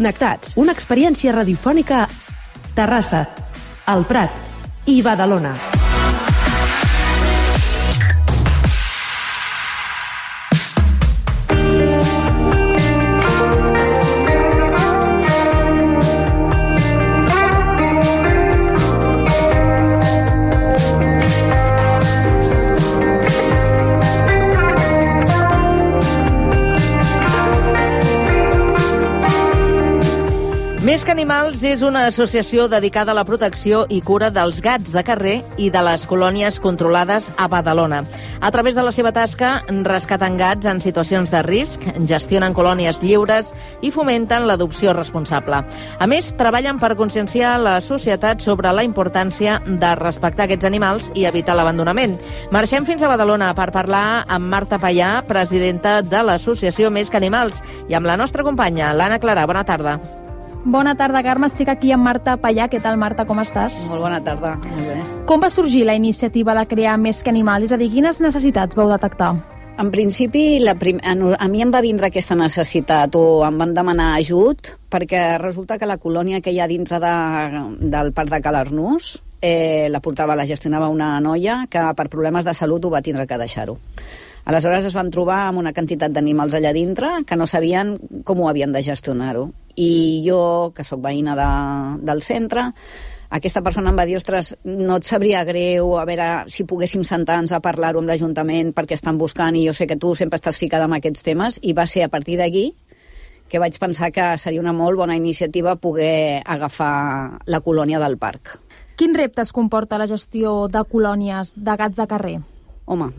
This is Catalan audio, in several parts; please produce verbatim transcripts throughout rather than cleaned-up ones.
Connectats, una experiència radiofònica a Terrassa, el Prat i Badalona. Més que Animals és una associació dedicada a la protecció i cura dels gats de carrer i de les colònies controlades a Badalona. A través de la seva tasca, rescaten gats en situacions de risc, gestionen colònies lliures i fomenten l'adopció responsable. A més, treballen per conscienciar la societat sobre la importància de respectar aquests animals i evitar l'abandonament. Marxem fins a Badalona per parlar amb Marta Payà, presidenta de l'associació Més que Animals, i amb la nostra companya, l'Anna Clara. Bona tarda. Bona tarda, Carme. Estic aquí amb Marta Payà. Què tal, Marta? Com estàs? Molt bona tarda. Molt bé. Com va sorgir la iniciativa de crear Més que Animals? És a dir, quines necessitats vau detectar? En principi, la prim... a mi em va vindre aquesta necessitat o em van demanar ajut perquè resulta que la colònia que hi ha dintre de, del parc de Ca l'Arnús eh, la portava, la gestionava una noia que per problemes de salut ho va tindre que deixar-ho. Aleshores es van trobar amb una quantitat d'animals allà dintre que no sabien com ho havien de gestionar-ho. I jo, que sóc veïna de, del centre, aquesta persona em va dir, ostres, no et sabria greu, a veure si poguéssim sentar-nos a parlar-ho amb l'Ajuntament perquè estan buscant, i jo sé que tu sempre estàs ficada en aquests temes, i va ser a partir d'aquí que vaig pensar que seria una molt bona iniciativa poder agafar la colònia del parc. Quins reptes comporta la gestió de colònies de gats de carrer? Home,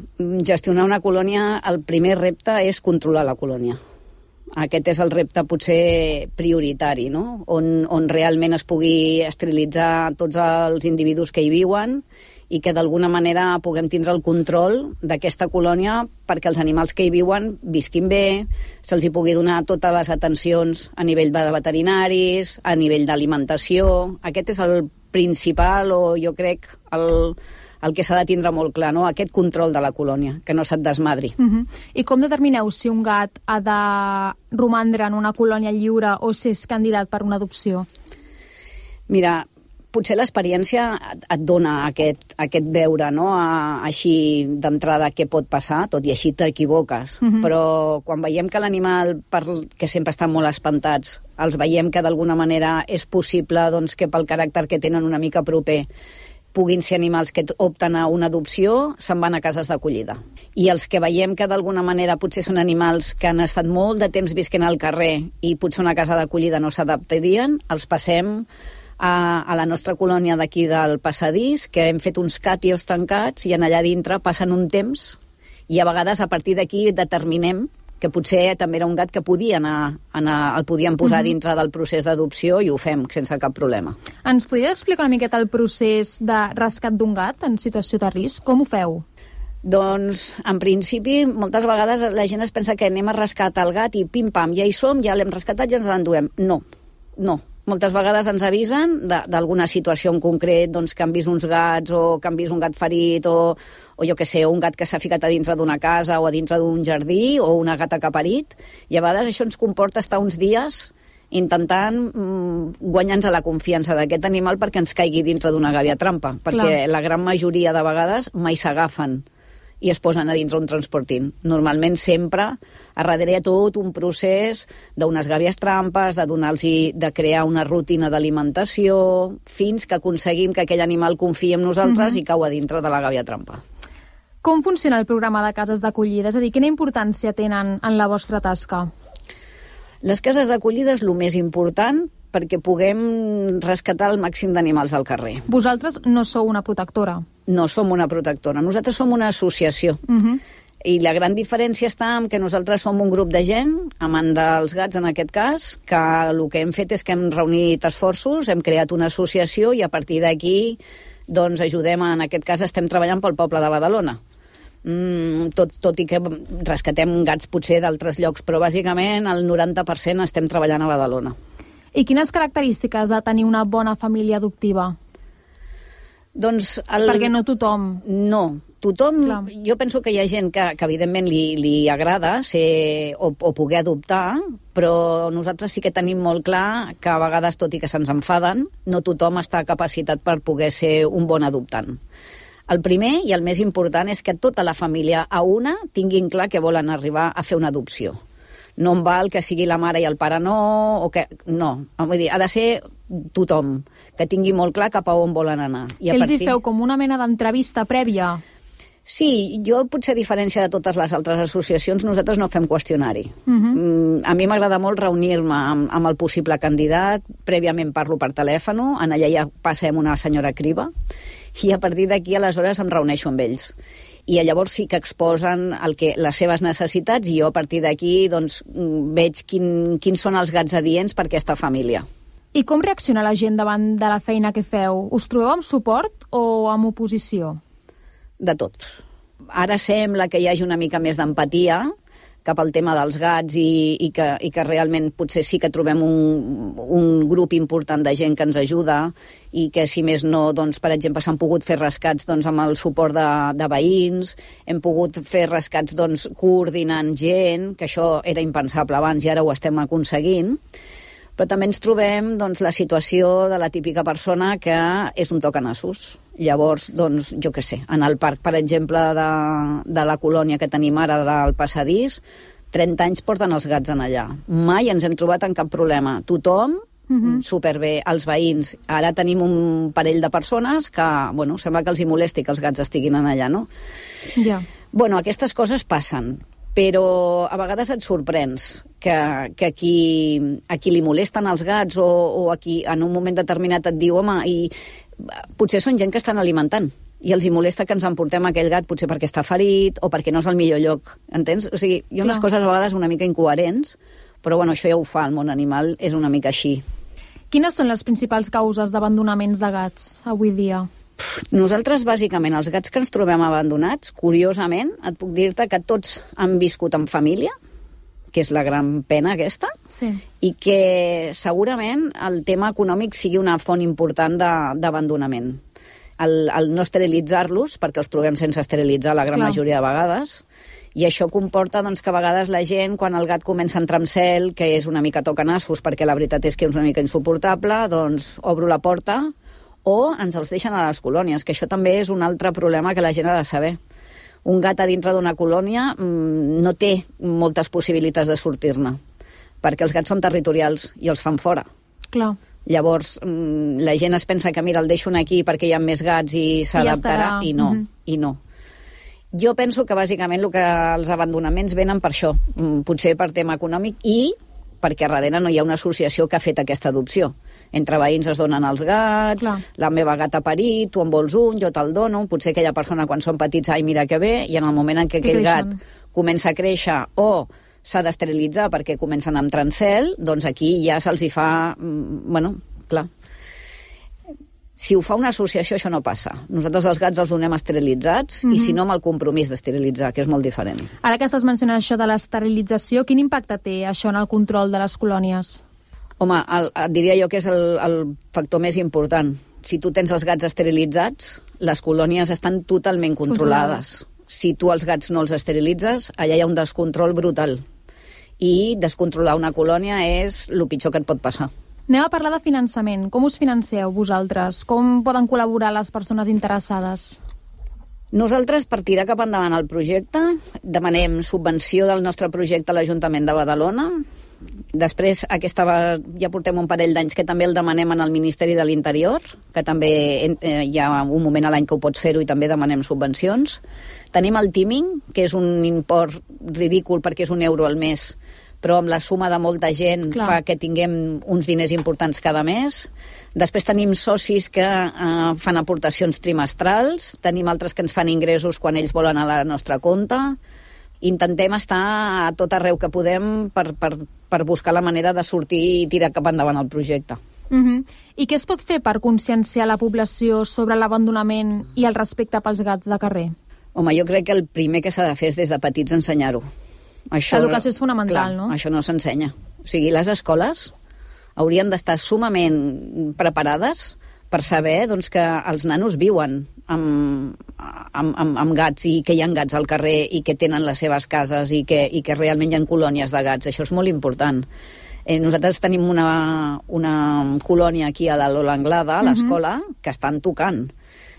gestionar una colònia, el primer repte és controlar la colònia. Aquest és el repte potser prioritari, no? On, on realment es pugui esterilitzar tots els individus que hi viuen i que d'alguna manera puguem tindre el control d'aquesta colònia perquè els animals que hi viuen visquin bé, se'ls hi pugui donar totes les atencions a nivell de veterinaris, a nivell d'alimentació. Aquest és el principal, o jo crec, el... el que s'ha de tindre molt clar, no? Aquest control de la colònia, que no se't desmadri. Uh-huh. I com determineu si un gat ha de romandre en una colònia lliure o si és candidat per una adopció? Mira, potser l'experiència et dona aquest, aquest veure, no? A, així d'entrada què pot passar, tot i així t'equivoques. Uh-huh. Però quan veiem que l'animal, per, que sempre estan molt espantats, els veiem que d'alguna manera és possible, doncs, que pel caràcter que tenen una mica proper puguin ser animals que opten a una adopció, se'n van a cases d'acollida. I els que veiem que d'alguna manera potser són animals que han estat molt de temps visquent al carrer i potser una casa d'acollida no s'adaptarien, els passem a, a la nostra colònia d'aquí del passadís, que hem fet uns càtios tancats i en allà dintre passen un temps i a vegades a partir d'aquí determinem que potser també era un gat que podia anar, anar, el podíem posar uh-huh. dintre del procés d'adopció i ho fem sense cap problema. Ens podries explicar una miqueta el procés de rescat d'un gat en situació de risc? Com ho feu? Doncs, en principi, moltes vegades la gent es pensa que anem a rescatar el gat i pim-pam, ja hi som, ja l'hem rescatat i ens l'enduem. No, no. Moltes vegades ens avisen d'alguna situació en concret, doncs, que han vist uns gats o que han vist un gat ferit o, o jo què sé, un gat que s'ha ficat a dintre d'una casa o a dintre d'un jardí o una gata que ha parit. I a vegades això ens comporta estar uns dies intentant mm, guanyar-nos la confiança d'aquest animal perquè ens caigui dintre d'una gàbia trampa, perquè Clar. La gran majoria de vegades mai s'agafen i es posen a dintre un transportint. Normalment sempre a darrere hi ha tot un procés d'unes gàbies trampes, de donar-los, de crear una rutina d'alimentació, fins que aconseguim que aquell animal confiï en nosaltres uh-huh. i cau a dintre de la gàbia trampa. Com funciona el programa de cases d'acollida? És a dir, quina importància tenen en la vostra tasca? Les cases d'acollida és el més important perquè puguem rescatar el màxim d'animals del carrer. Vosaltres no sou una protectora? No som una protectora, nosaltres som una associació. Uh-huh. I la gran diferència està en que nosaltres som un grup de gent, amant dels gats en aquest cas, que el que hem fet és que hem reunit esforços, hem creat una associació i a partir d'aquí doncs ajudem, en aquest cas estem treballant pel poble de Badalona. Mm, tot, tot i que rescatem gats potser d'altres llocs, però bàsicament el noranta per cent estem treballant a Badalona. I quines característiques ha de tenir una bona família adoptiva? Doncs el... Perquè no tothom... No, tothom, Clar. jo penso que hi ha gent que, que evidentment li, li agrada ser, o, o poder adoptar, però nosaltres sí que tenim molt clar que a vegades, tot i que se'ns enfaden, no tothom està capacitat per poder ser un bon adoptant. El primer i el més important és que tota la família a una tinguin clar que volen arribar a fer una adopció. No em val que sigui la mare i el pare no, o que... No, vull dir, ha de ser tothom, que tingui molt clar cap a on volen anar. I que a ells partir... hi feu com una mena d'entrevista prèvia? Sí, jo potser a diferència de totes les altres associacions, nosaltres no fem qüestionari. Uh-huh. A mi m'agrada molt reunir-me amb, amb el possible candidat, prèviament parlo per telèfon, en allà ja passem una senyora criba, i a partir d'aquí aleshores em reuneixo amb ells. I llavors sí que exposen el que, les seves necessitats i jo a partir d'aquí doncs, veig quin, quins són els gats adients per aquesta família. I com reacciona la gent davant de la feina que feu? Us trobeu amb suport o amb oposició? De tot. Ara sembla que hi hagi una mica més d'empatia cap al tema dels gats i, i, que, i que realment potser sí que trobem un, un grup important de gent que ens ajuda i que, si més no, doncs, per exemple, s'han pogut fer rescats doncs, amb el suport de, de veïns, hem pogut fer rescats doncs, coordinant gent, que això era impensable abans i ara ho estem aconseguint. Però també ens trobem doncs, la situació de la típica persona que és un tocanassos. Llavors, doncs, jo què sé, en el parc, per exemple, de, de la colònia que tenim ara del passadís, trenta anys porten els gats en allà. Mai ens hem trobat en cap problema. Tothom, uh-huh. superbé, els veïns. Ara tenim un parell de persones que, bueno, sembla que els hi molesti que els gats estiguin en allà, no? Ja. Yeah. Bueno, aquestes coses passen, però a vegades et sorprens que, que a, qui, a qui li molesten els gats o, o a qui en un moment determinat et diu, home, i potser són gent que estan alimentant i els hi molesta que ens emportem aquell gat potser perquè està ferit o perquè no és el millor lloc, entens? O sigui, hi ha unes coses a vegades una mica incoherents, però bueno, això ja ho fa el món animal, és una mica així. Quines són les principals causes d'abandonaments de gats avui dia? Nosaltres, bàsicament, els gats que ens trobem abandonats, curiosament, et puc dir-te que tots han viscut en família, que és la gran pena aquesta, sí. i que segurament el tema econòmic sigui una font important d'abandonament. El, el no esterilitzar-los, perquè els trobem sense esterilitzar la gran Clar. majoria de vegades, i això comporta doncs, que a vegades la gent, quan el gat comença a entrar en cel, que és una mica tocanassos, perquè la veritat és que és una mica insuportable, doncs obro la porta, o ens els deixen a les colònies, que això també és un altre problema que la gent ha de saber. Un gat a dintre d'una colònia mmm, no té moltes possibilitats de sortir-ne, perquè els gats són territorials i els fan fora. Clar. Llavors, mmm, la gent es pensa que, mira, el deixo aquí perquè hi ha més gats i s'adaptarà, i no, uh-huh. i no. Jo penso que, bàsicament, el que els abandonaments venen per això, potser per tema econòmic i perquè a darrere no hi ha una associació que ha fet aquesta adopció. Entre veïns es donen els gats, Clar. la meva gata ha parit, tu en vols un, jo te'l dono, potser aquella persona quan són petits, ai, mira que bé, i en el moment en què aquell gat comença a créixer o s'ha d'esterilitzar perquè comencen a entrar en cel, doncs aquí ja se'ls hi fa... Bueno, clar. Si ho fa una associació, això no passa. Nosaltres els gats els donem esterilitzats mm-hmm. i si no amb el compromís d'esterilitzar, que és molt diferent. Ara que estàs mencionant això de l'esterilització, quin impacte té això en el control de les colònies? Home, el, et diria jo que és el, el factor més important. Si tu tens els gats esterilitzats, les colònies estan totalment controlades. Si tu els gats no els esterilitzes, allà hi ha un descontrol brutal. I descontrolar una colònia és el pitjor que et pot passar. Anem a parlar de finançament. Com us financeu vosaltres? Com poden col·laborar les persones interessades? Nosaltres, per tirar cap endavant el projecte, demanem subvenció del nostre projecte a l'Ajuntament de Badalona. Després, aquesta va, ja portem un parell d'anys que també el demanem en el Ministeri de l'Interior, que també eh, hi ha un moment a l'any que ho pots fer-ho i també demanem subvencions. Tenim el Teaming, que és un import ridícul perquè és un euro al mes, però amb la suma de molta gent Clar. fa que tinguem uns diners importants cada mes. Després tenim socis que eh, fan aportacions trimestrals, tenim altres que ens fan ingressos quan ells volen a la nostra compte. Intentem estar a tot arreu que podem per, per, per buscar la manera de sortir i tirar cap endavant el projecte. Uh-huh. I què es pot fer per conscienciar la població sobre l'abandonament i el respecte pels gats de carrer? Home, jo crec que el primer que s'ha de fer és des de petits ensenyar-ho. L'educació és fonamental, clar, no? Això no s'ensenya. O sigui, les escoles haurien d'estar sumament preparades per saber doncs, que els nanos viuen amb, amb, amb, amb gats i que hi ha gats al carrer i que tenen les seves cases i que, i que realment hi ha colònies de gats. Això és molt important. Eh, nosaltres tenim una, una colònia aquí a la Lola Anglada, a l'escola, uh-huh. que estan tocant.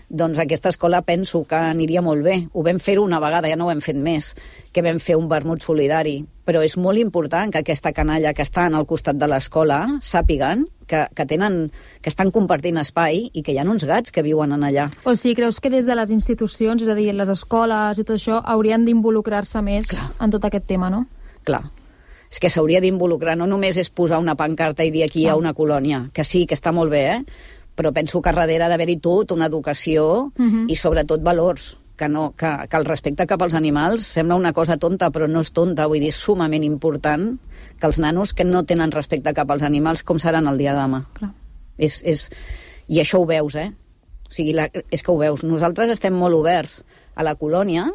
Doncs aquesta escola penso que aniria molt bé. Ho vam fer una vegada, ja no ho hem fet més, que vam fer un vermut solidari. Però és molt important que aquesta canalla que està al costat de l'escola sàpiguen que, que, tenen, que estan compartint espai i que hi ha uns gats que viuen en allà. O sigui, creus que des de les institucions, és a dir, les escoles i tot això, haurien d'involucrar-se més Clar. en tot aquest tema, no? Clar. És que s'hauria d'involucrar, no només és posar una pancarta i dir aquí hi ha una colònia, que sí, que està molt bé, eh? Però penso que darrere d'haver-hi tot, una educació uh-huh. i sobretot valors, que, no, que, que el respecte cap als animals sembla una cosa tonta, però no és tonta, vull dir, és sumament important que els nanos que no tenen respecte cap als animals com seran el dia de demà. Clar. És, és, I això ho veus, eh? O sigui, la, és que ho veus. Nosaltres estem molt oberts a la colònia,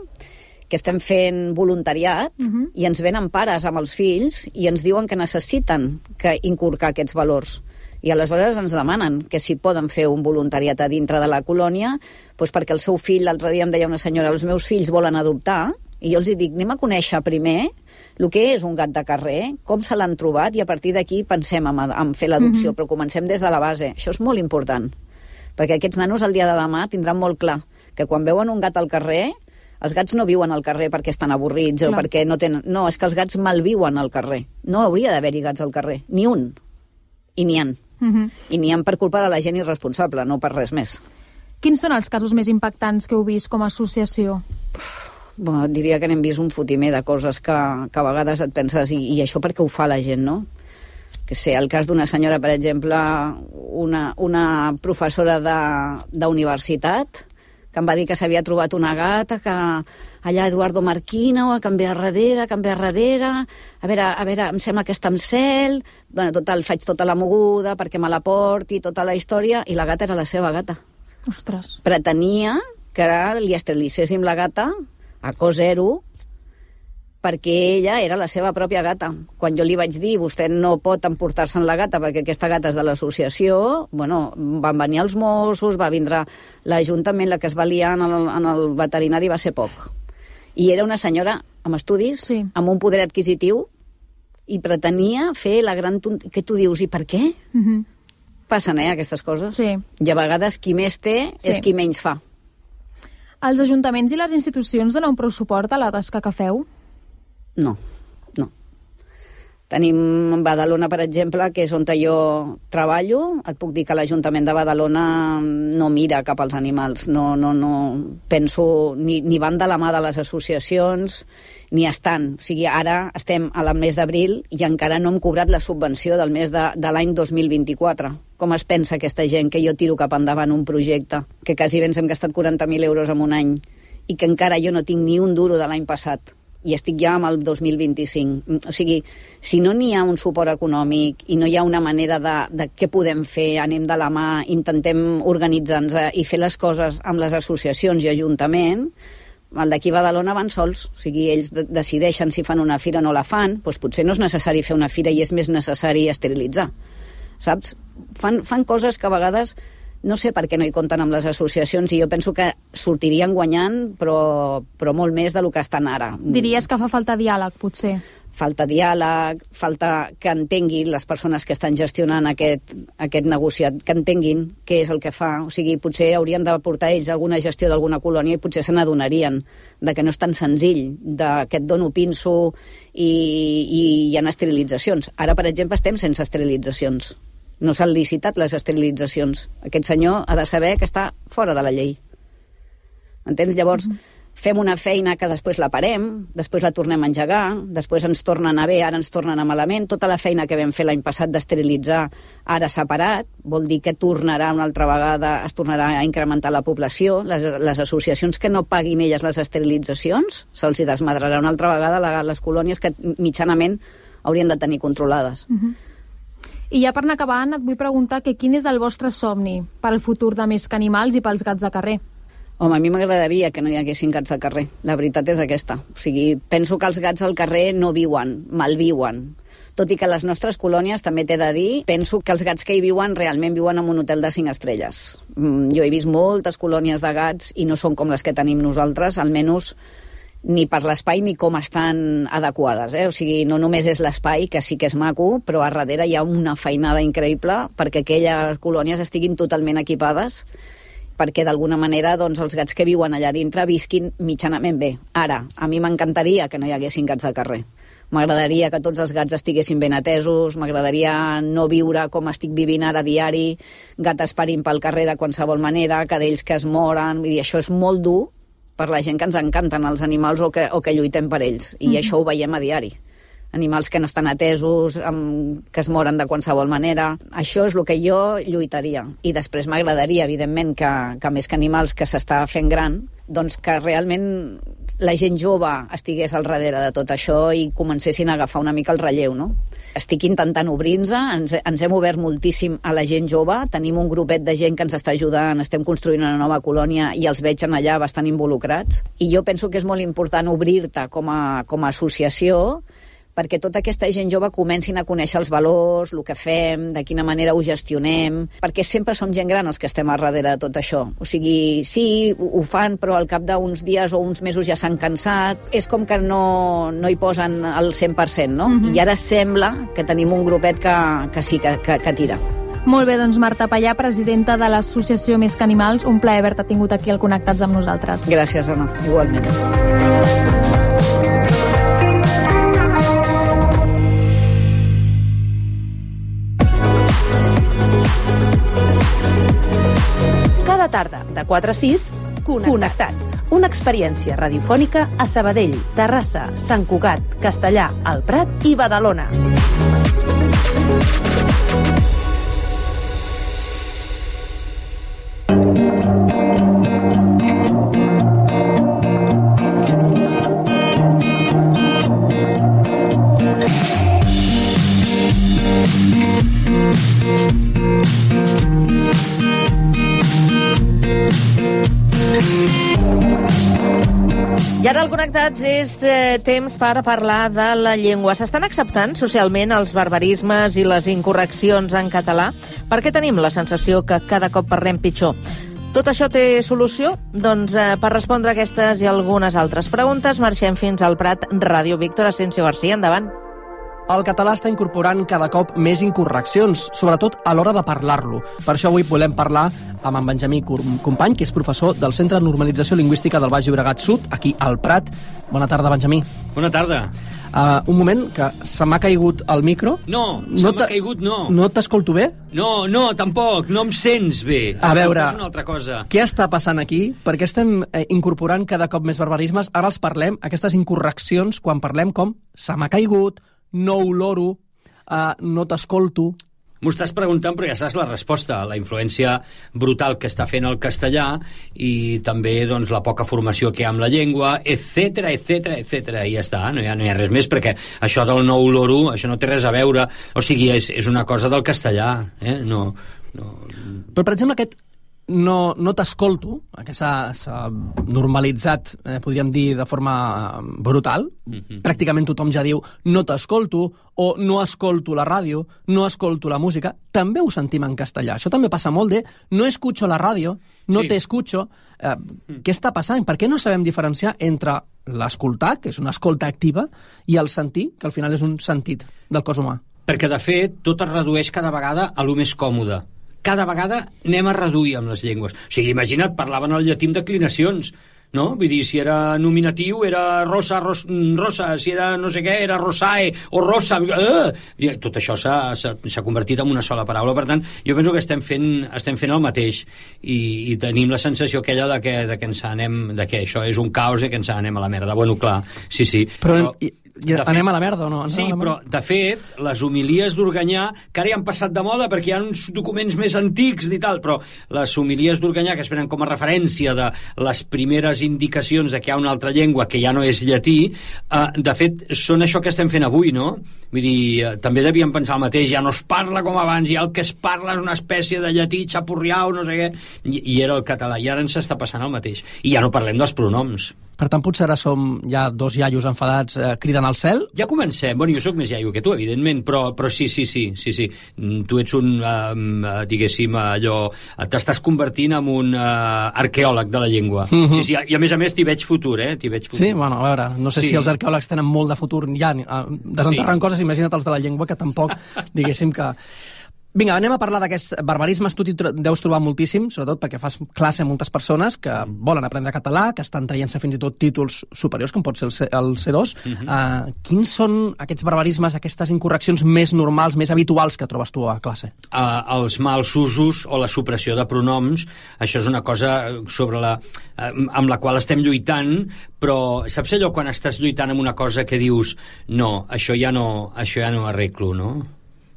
que estem fent voluntariat uh-huh. i ens venen pares amb els fills i ens diuen que necessiten que inculcar aquests valors. I aleshores ens demanen que si poden fer un voluntariat a dintre de la colònia, doncs perquè el seu fill, l'altre dia em deia una senyora, els meus fills volen adoptar, i jo els dic, anem a conèixer primer el que és un gat de carrer, com se l'han trobat, i a partir d'aquí pensem en, en fer l'adopció, uh-huh. però comencem des de la base. Això és molt important, perquè aquests nanos el dia de demà tindran molt clar que quan veuen un gat al carrer, els gats no viuen al carrer perquè estan avorrits Clar. o perquè no tenen... No, és que els gats malviuen al carrer. No hauria d'haver-hi gats al carrer, ni un. I n'hi ha. Uh-huh. I n'hi ha per culpa de la gent irresponsable, no per res més. Quins són els casos més impactants que heu vist com a associació? Bueno, diria que n'hem vist un fotimer de coses que, que a vegades et penses i, i això perquè ho fa la gent, no? Que sé, el cas d'una senyora, per exemple, una, una professora d'universitat que em va dir que s'havia trobat una gata que allà Eduardo Marquina o a canviar darrere, a canviar darrere, a veure, a veure, em sembla que està amb cel, bueno, total, faig tota la moguda perquè me la porti, tota la història, i la gata era la seva gata. Ostres. Pretenia que li esterilitzéssim la gata a cos zero perquè ella era la seva pròpia gata. Quan jo li vaig dir, vostè no pot emportar-se'n la gata perquè aquesta gata és de l'associació, bueno, van venir els Mossos, va vindre l'Ajuntament, la que es va liar en el, en el veterinari va ser poc. I era una senyora amb estudis, sí. amb un poder adquisitiu, i pretenia fer la gran... Tont... Què tu dius? I per què? Uh-huh. Passen, eh, aquestes coses. Sí. I a vegades qui més té sí. és qui menys fa. Els ajuntaments i les institucions donen prou suport a la tasca que feu? No, no. Tenim Badalona, per exemple, que és on jo treballo. Et puc dir que l'Ajuntament de Badalona no mira cap als animals. No, no, no. Penso, ni, ni van de la mà de les associacions, ni estan. O sigui, ara estem al mes d'abril i encara no hem cobrat la subvenció del mes de, de l'any dos mil vint-i-quatre. Com es pensa aquesta gent que jo tiro cap endavant un projecte que quasi bé ens hem gastat quaranta mil euros en un any i que encara jo no tinc ni un duro de l'any passat? I estic ja amb el dos mil vint-i-cinc. O sigui, si no n'hi ha un suport econòmic i no hi ha una manera de, de què podem fer, anem de la mà, intentem organitzar-nos i fer les coses amb les associacions i ajuntament, el d'aquí a Badalona van sols. O sigui, ells de decideixen si fan una fira o no la fan, doncs potser no és necessari fer una fira i és més necessari esterilitzar. Saps? Fan, fan coses que a vegades... No sé per què no hi compten amb les associacions i jo penso que sortirien guanyant, però, però molt més del que estan ara. Diries que fa falta diàleg, potser? Falta diàleg, falta que entenguin les persones que estan gestionant aquest, aquest negociat, que entenguin què és el que fa. O sigui, potser haurien de portar ells alguna gestió d'alguna colònia i potser se n'adonarien de que no és tan senzill, de que et dono pinso i, i hi ha esterilitzacions. Ara, per exemple, estem sense esterilitzacions. No s'han licitat les esterilitzacions. Aquest senyor ha de saber que està fora de la llei. Entens? Llavors, mm-hmm. fem una feina que després la parem, després la tornem a engegar, després ens torna a anar bé, ara ens torna a anar malament. Tota la feina que vam fer l'any passat d'esterilitzar ara s'ha parat, vol dir que tornarà una altra vegada, es tornarà a incrementar la població. Les, les associacions que no paguin elles les esterilitzacions, se'ls hi desmadrarà una altra vegada la, les colònies que mitjanament haurien de tenir controlades. Mm-hmm. I ja per anar acabant, et vull preguntar que quin és el vostre somni per al futur de Més que Animals i pels gats de carrer? Home, a mi m'agradaria que no hi haguessin gats de carrer. La veritat és aquesta. O sigui, penso que els gats al carrer no viuen, malviuen. Tot i que les nostres colònies, també t'he de dir, penso que els gats que hi viuen realment viuen en un hotel de cinc estrelles. Jo he vist moltes colònies de gats i no són com les que tenim nosaltres, almenys ni per l'espai ni com estan adequades. Eh? O sigui, no només és l'espai, que sí que és maco, però a darrere hi ha una feinada increïble perquè aquelles colònies estiguin totalment equipades perquè d'alguna manera doncs, els gats que viuen allà dintre visquin mitjanament bé. Ara, a mi m'encantaria que no hi haguessin gats de carrer. M'agradaria que tots els gats estiguessin ben atesos, m'agradaria no viure com estic vivint ara diari, gat esperint pel carrer de qualsevol manera, cadells que es moren, vull dir, això és molt dur per la gent que ens encanten els animals o que, o que lluitem per ells, i mm-hmm. això ho veiem a diari. Animals que no estan atesos, amb, que es moren de qualsevol manera. Això és el que jo lluitaria. I després m'agradaria, evidentment, que, que més que animals que s'està fent gran, doncs que realment la gent jove estigués al darrere de tot això i comencessin a agafar una mica el relleu, no? Estic intentant obrir-nos, ens, ens hem obert moltíssim a la gent jove, tenim un grupet de gent que ens està ajudant, estem construint una nova colònia i els veig en allà bastant involucrats. I jo penso que és molt important obrir-te com a, com a associació perquè tota aquesta gent jove comencin a conèixer els valors, el que fem, de quina manera ho gestionem, perquè sempre som gent gran els que estem a darrere de tot això. O sigui, sí, ho fan, però al cap d'uns dies o uns mesos ja s'han cansat. És com que no, no hi posen el cent per cent, no? Mm-hmm. I ara sembla que tenim un grupet que, que sí, que, que, que tira. Molt bé, doncs Marta Pallà, presidenta de l'associació Més que Animals, un plaer haver-te tingut aquí al Connectats amb nosaltres. Gràcies, Anna, igualment. Cada tarda, de quatre a sis, Connectats. Connectats. Una experiència radiofònica a Sabadell, Terrassa, Sant Cugat, Castellar, el Prat i Badalona. I ara al Connectats és eh, temps per parlar de la llengua. S'estan acceptant socialment els barbarismes i les incorreccions en català? Per què tenim la sensació que cada cop parlem pitjor? Tot això té solució? Doncs eh, per respondre aquestes i algunes altres preguntes marxem fins al Prat. Ràdio Víctor Asensio García, endavant. El català està incorporant cada cop més incorreccions, sobretot a l'hora de parlar-lo. Per això avui volem parlar amb en Benjamí Company, que és professor del Centre de Normalització Lingüística del Baix Llobregat Sud, aquí al Prat. Bona tarda, Benjamí. Bona tarda. Uh, un moment, que se m'ha caigut el micro. No, no se m'ha caigut, no. No t'escolto bé? No, no, tampoc, no em sents bé. A veure, és una altra cosa. Què està passant aquí? Per què estem eh, incorporant cada cop més barbarismes? Ara els parlem, aquestes incorreccions, quan parlem com se m'ha caigut, no oloro, uh, no t'escolto. M'ho estàs preguntant, però ja saps la resposta, la influència brutal que està fent el castellà i també doncs, la poca formació que hi ha amb la llengua, etcètera, etcètera, etcètera. I ja està, no hi ha, no hi ha res més, perquè això del no oloro, això no té res a veure. O sigui, és, és una cosa del castellà, eh? No, no... Però, per exemple, aquest no, no t'escolto, que s'ha normalitzat, eh, podríem dir, de forma brutal. Mm-hmm. Pràcticament tothom ja diu no t'escolto, o no escolto la ràdio, no escolto la música. També ho sentim en castellà. Això també passa molt de no escucho la ràdio, no sí. te escucho. Eh, mm. Què està passant? Per què no sabem diferenciar entre l'escoltar, que és una escolta activa, i el sentir, que al final és un sentit del cos humà? Perquè, de fet, tot es redueix cada vegada a lo més còmode. Cada vegada anem a reduir amb les llengües. O sigui, imagina't, parlaven el llatí amb declinacions, no? Vull dir, si era nominatiu era rosa, ros, rosa, si era no sé què, era rosae o rosa. Eh! Tot això s'ha convertit en una sola paraula. Per tant, jo penso que estem fent, estem fent el mateix i, i tenim la sensació aquella de que, de que ens anem, de que això és un caos i que ens anem a la merda. Bueno, clar, sí, sí. Però... però... I anem fet, a la merda o no? Sí, però de fet, les homilies d'Organyà, que ara ja han passat de moda perquè hi ha uns documents més antics i tal, però les homilies d'Organyà, que es prenen com a referència de les primeres indicacions de que hi ha una altra llengua que ja no és llatí, eh, de fet, són això que estem fent avui, no? Vull dir, eh, també devíem pensar el mateix, ja no es parla com abans, ja el que es parla és una espècie de llatí xapurriau, no sé què, i, i era el català, i ara ens està passant el mateix. I ja no parlem dels pronoms. Per tant, potser ara som ja dos iaios enfadats eh, cridant al cel? Ja comencem. Bueno, jo sóc més iaio que tu, evidentment, però, però sí, sí, sí, sí, sí. Tu ets un, um, diguéssim, allò... T'estàs convertint en un uh, arqueòleg de la llengua. Mm -hmm. sí, sí, I a més a més t'hi veig futur, eh? T'hi veig futur. Sí, bueno, a veure, no sé sí. si els arqueòlegs tenen molt de futur ja desenterrant sí. coses, imagina't els de la llengua, que tampoc, diguéssim que... Vinga, anem a parlar d'aquests barbarismes. Tu t'hi deus trobar moltíssim, sobretot perquè fas classe a moltes persones que volen aprendre català, que estan traient-se fins i tot títols superiors, com pot ser el C, el C dos. Uh -huh. uh, quins són aquests barbarismes, aquestes incorreccions més normals, més habituals que trobes tu a classe? Uh, els mals usos o la supressió de pronoms, això és una cosa sobre la, uh, amb la qual estem lluitant, però saps allò quan estàs lluitant amb una cosa que dius no, això ja no, això ja no arreglo, no?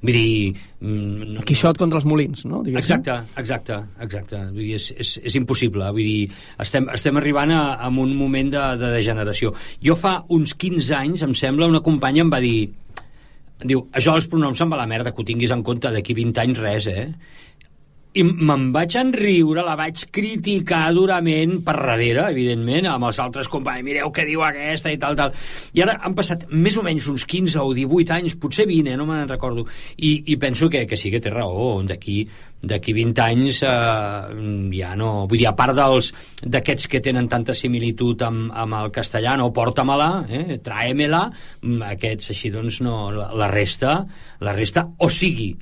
Vull dir... Mm, Quixot contra els molins, no? Diguéssim. Exacte, exacte, exacte. Vull dir, és, és, és impossible. Vull dir, estem, estem arribant a, a un moment de, de degeneració. Jo fa uns quinze anys, em sembla, una companya em va dir... Diu, això dels pronoms se'n va la merda, que ho tinguis en compte, d'aquí vint anys res, eh? I me'n vaig enriure, la vaig criticar durament per darrere, evidentment, amb els altres companys, mireu què diu aquesta i tal, tal. I ara han passat més o menys uns quinze o divuit anys, potser vint, eh, no me'n recordo, i, i penso que, que sí que té raó, d'aquí d'aquí vint anys eh, ja no... Vull dir, a part dels d'aquests que tenen tanta similitud amb, amb el castellà, no, porta-me-la, eh, tráemela, aquests així, doncs, no, la, la resta, la resta, o sigui,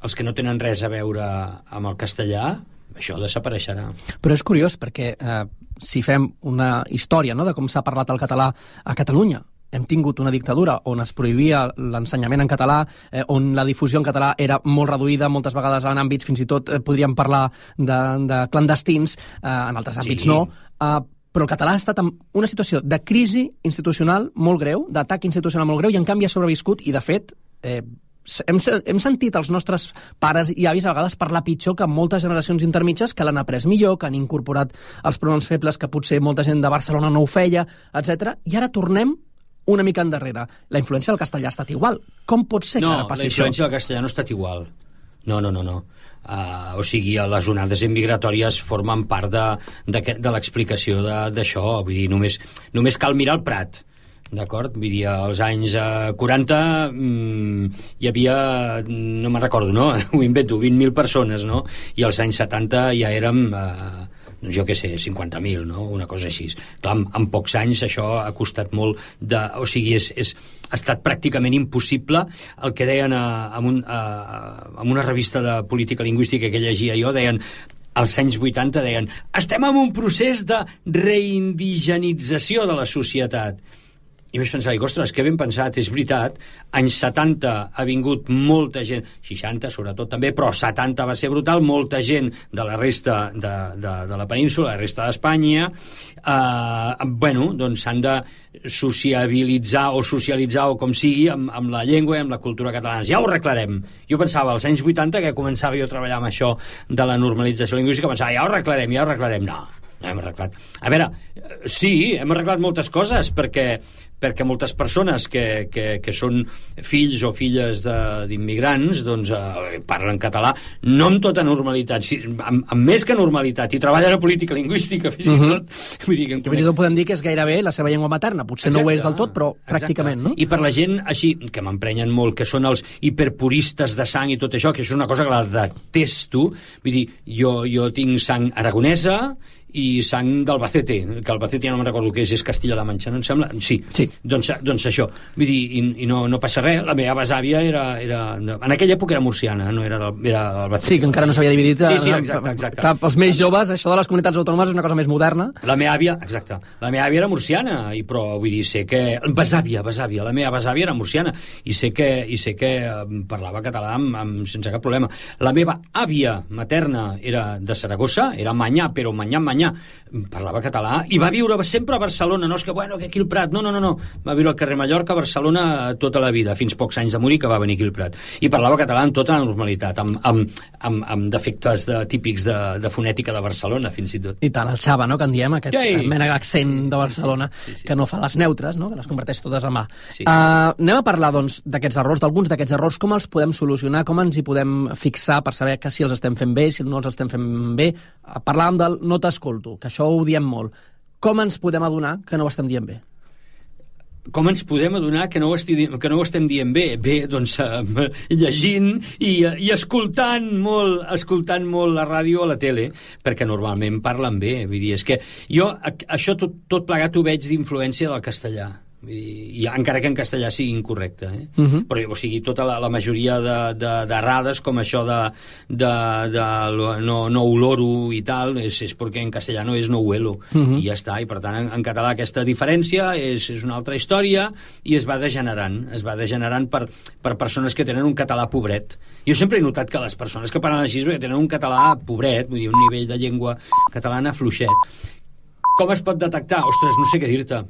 els que no tenen res a veure amb el castellà, això desapareixerà. Però és curiós, perquè eh, si fem una història, no?, de com s'ha parlat el català a Catalunya, hem tingut una dictadura on es prohibia l'ensenyament en català, eh, on la difusió en català era molt reduïda, moltes vegades en àmbits, fins i tot eh, podríem parlar de, de clandestins, eh, en altres àmbits sí. no, eh, però el català ha estat en una situació de crisi institucional molt greu, d'atac institucional molt greu, i en canvi ha sobreviscut, i de fet... Eh, Hem, hem sentit els nostres pares i avis a vegades parlar pitjor que moltes generacions intermitges que l'han après millor, que han incorporat els pronoms febles que potser molta gent de Barcelona no ho feia, etcètera. I ara tornem una mica endarrere. La influència del castellà ha estat igual. Com pot ser que no, ara passi això? No, la influència del castellà no ha estat igual. No, no, no, no. Uh, o sigui, les onades migratòries formen part de, de, de l'explicació d'això. Vull dir, només, només cal mirar el Prat. D'acord? Vull dir, als anys eh, quaranta mm, hi havia, no me'n recordo, no? Ho invento, vint mil persones, no? I als anys setanta ja érem, eh, doncs jo què sé, cinquanta mil, no? Una cosa així. Clar, en, en pocs anys això ha costat molt de... O sigui, és, és, ha estat pràcticament impossible el que deien a, a, un, a, a una revista de política lingüística que llegia jo, deien... Als anys vuitanta deien estem en un procés de reindigenització de la societat. I vaig pensar, ostres, que ben pensat, és veritat, anys setanta ha vingut molta gent, seixanta sobretot també, però setanta va ser brutal, molta gent de la resta de, de, de la península, de la resta d'Espanya, eh, bueno, doncs s'han de sociabilitzar o socialitzar o com sigui amb, amb la llengua i amb la cultura catalana. Ja ho arreglarem. Jo pensava, als anys vuitanta, que començava jo a treballar amb això de la normalització lingüística, pensava, ja ho arreglarem, ja ho arreglarem. No, no hem arreglat. A veure, sí, hem arreglat moltes coses, perquè perquè moltes persones que, que, que són fills o filles d'immigrants doncs eh, parlen català no amb tota normalitat, si, amb, amb més que normalitat, i treballen a política lingüística fins i tot. Uh-huh. Vull dir que, que fins i tot podem dir que és gairebé la seva llengua materna, potser exacte, no ho és del tot, però exacte. Pràcticament, no? I per la gent així, que m'emprenyen molt, que són els hiperpuristes de sang i tot això, que això és una cosa que la detesto, vull dir, jo, jo tinc sang aragonesa i sang d'Albacete, que Albacete ja no me'n recordo què és, és Castilla-La Manxa, no em sembla? Sí, sí. Doncs, doncs això, vull dir, i, i no, no passa res, la meva besàvia era, era... En aquella època era murciana, no era d'Albacete. Sí, que encara no s'havia dividit. Sí, sí, exacte, exacte. Clar, els més joves, això de les comunitats autònomes és una cosa més moderna. La meva àvia, exacte, la meva àvia era murciana, i però vull dir, sé que... Besàvia, besàvia, la meva besàvia era murciana, i sé que, i sé que parlava català amb, amb, sense cap problema. La meva àvia materna era de Saragossa, era manyà, però manyà, manyà, parlava català, i va viure sempre a Barcelona, no és que, bueno, que aquí el Prat, no, no, no, no, va viure al carrer Mallorca, a Barcelona, tota la vida, fins pocs anys de morir, que va venir aquí el Prat, i parlava català amb tota la normalitat, amb, amb, amb, amb defectes de, típics de, de fonètica de Barcelona, fins i tot. I tant, el xava, no?, que en diem, aquest Ei. mena d'accent de Barcelona, sí, sí. que no fa les neutres, no?, que les converteix totes en mà. Sí. Uh, anem a parlar, doncs, d'aquests errors, d'alguns d'aquests errors, com els podem solucionar, com ens hi podem fixar per saber que si els estem fent bé, si no els estem fent bé. Parlàvem del no t'escolto, que això ho diem molt. com ens podem adonar que no ho estem dient bé? Com ens podem adonar que no ho, esti, que no ho estem dient bé? Bé, doncs eh, llegint i, i escoltant molt, escoltant molt la ràdio o la tele, perquè normalment parlen bé. Vull dir, és que jo això tot, tot plegat ho veig d'influència del castellà. I, i encara que en castellà sigui incorrecte, eh? Uh-huh. Però, o sigui, tota la, la majoria de, de, d'errades com això de, de, de no, no oloro i tal és, és perquè en castellano és no huelo, uh-huh. i ja està, i per tant en, en català aquesta diferència és, és una altra història i es va degenerant, es va degenerant per, per persones que tenen un català pobret. Jo sempre he notat que les persones que parlen així tenen un català pobret, vull dir, un nivell de llengua catalana fluixet. Com es pot detectar? Ostres, no sé què dir-te.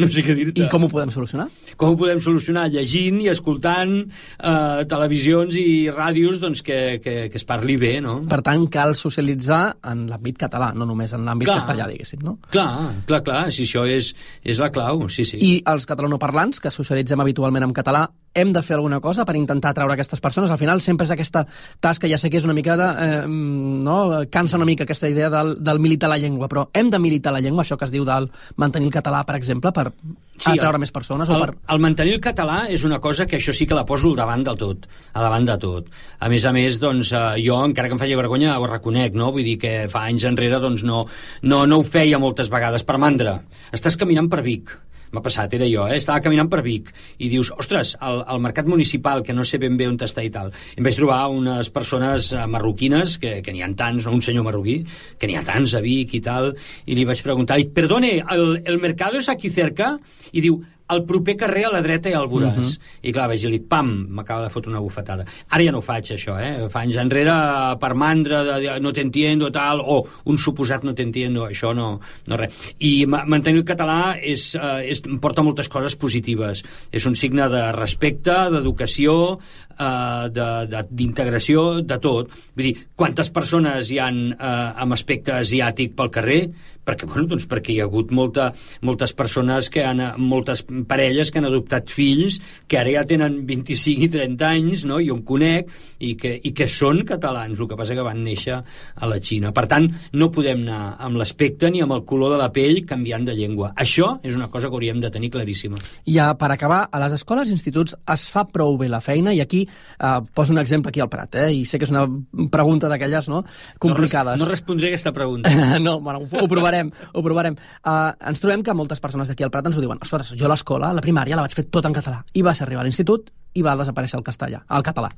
No sé què dir-te. I com ho podem solucionar? Com ho podem solucionar? Llegint i escoltant eh, televisions i ràdios doncs, que, que, que es parli bé, no? Per tant, cal socialitzar en l'àmbit català, no només en l'àmbit clar, castellà, diguéssim, no? Clar, clar, clar, si això és, és la clau, sí, sí. I els catalanoparlants, que socialitzem habitualment en català, hem de fer alguna cosa per intentar atraure aquestes persones? Al final sempre és aquesta tasca, ja sé que és una mica de... Eh, no? Cansa una mica aquesta idea del, del militar la llengua, però hem de militar la llengua, això que es diu del mantenir el català, per exemple, per sí, atraure el, més persones? El, o per... el mantenir el català és una cosa que això sí que la poso al davant del tot, a davant de tot. A més a més, doncs, eh, jo, encara que em faci vergonya, ho reconec, no? Vull dir que fa anys enrere doncs, no, no, no ho feia moltes vegades per mandra. Estàs caminant per Vic, m'ha passat, era jo, eh? Estava caminant per Vic i dius, ostres, al, al mercat municipal, que no sé ben bé on està i tal, em vaig trobar unes persones marroquines, que, que n'hi ha tants, no? Un senyor marroquí, que n'hi ha tants a Vic i tal, i li vaig preguntar, perdone, el, el mercado és aquí cerca? I diu, al proper carrer a la dreta i al voràs. Uh-huh. I clar, vaig dir-li, pam, m'acaba de fotre una bufetada. Ara ja no ho faig, això, eh? Fa anys enrere, per mandra, de, de, no t'entiendo, tal, o un suposat no t'entiendo, això no, no res. I mantenir el català és, eh, és, porta moltes coses positives. És un signe de respecte, d'educació, eh, de, de, d'integració, de tot. Vull dir, quantes persones hi ha eh, amb aspecte asiàtic pel carrer? Perquè, bueno, doncs perquè hi ha hagut molta, moltes persones que han, moltes parelles que han adoptat fills que ara ja tenen vint-i-cinc i trenta anys, no? Jo em conec, i que, i que són catalans, el que passa que van néixer a la Xina. Per tant, no podem anar amb l'aspecte ni amb el color de la pell canviant de llengua. Això és una cosa que hauríem de tenir claríssima. Ja, per acabar, a les escoles i instituts es fa prou bé la feina, i aquí eh, poso un exemple aquí al Prat, eh? I sé que és una pregunta d'aquelles, no?, complicades. No, res, no respondré aquesta pregunta. No, bueno, ho provarem. Ho provarem. Uh, ens trobem que moltes persones d'aquí al Prat ens ho diuen. Ostres, jo a l'escola, a la primària, la vaig fer tot en català. I vas arribar a l'institut i va desaparèixer el castellà, el català.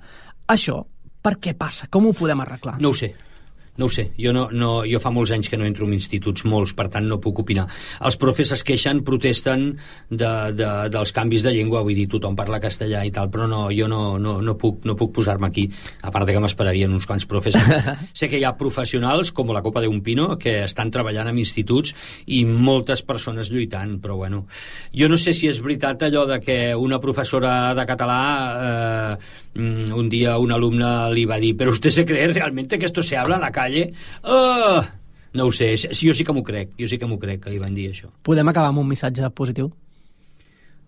Això, per què passa? Com ho podem arreglar? No ho sé. No ho sé, jo, no, no, jo fa molts anys que no entro en instituts, molts, per tant no puc opinar. Els profes es queixen, protesten de, de, dels canvis de llengua, vull dir, tothom parla castellà i tal, però no, jo no, no, no puc, no puc posar-me aquí, a part de que m'esperarien uns quants profes. Sé que hi ha professionals, com la Copa de un Pino, que estan treballant en instituts i moltes persones lluitant, però bueno, jo no sé si és veritat allò de que una professora de català eh, un dia un alumne li va dir, però usted se cree realmente que esto se habla en la calle? Uh, no ho sé, jo sí que m'ho crec, jo sí que m'ho crec que li van dir això. Podem acabar amb un missatge positiu?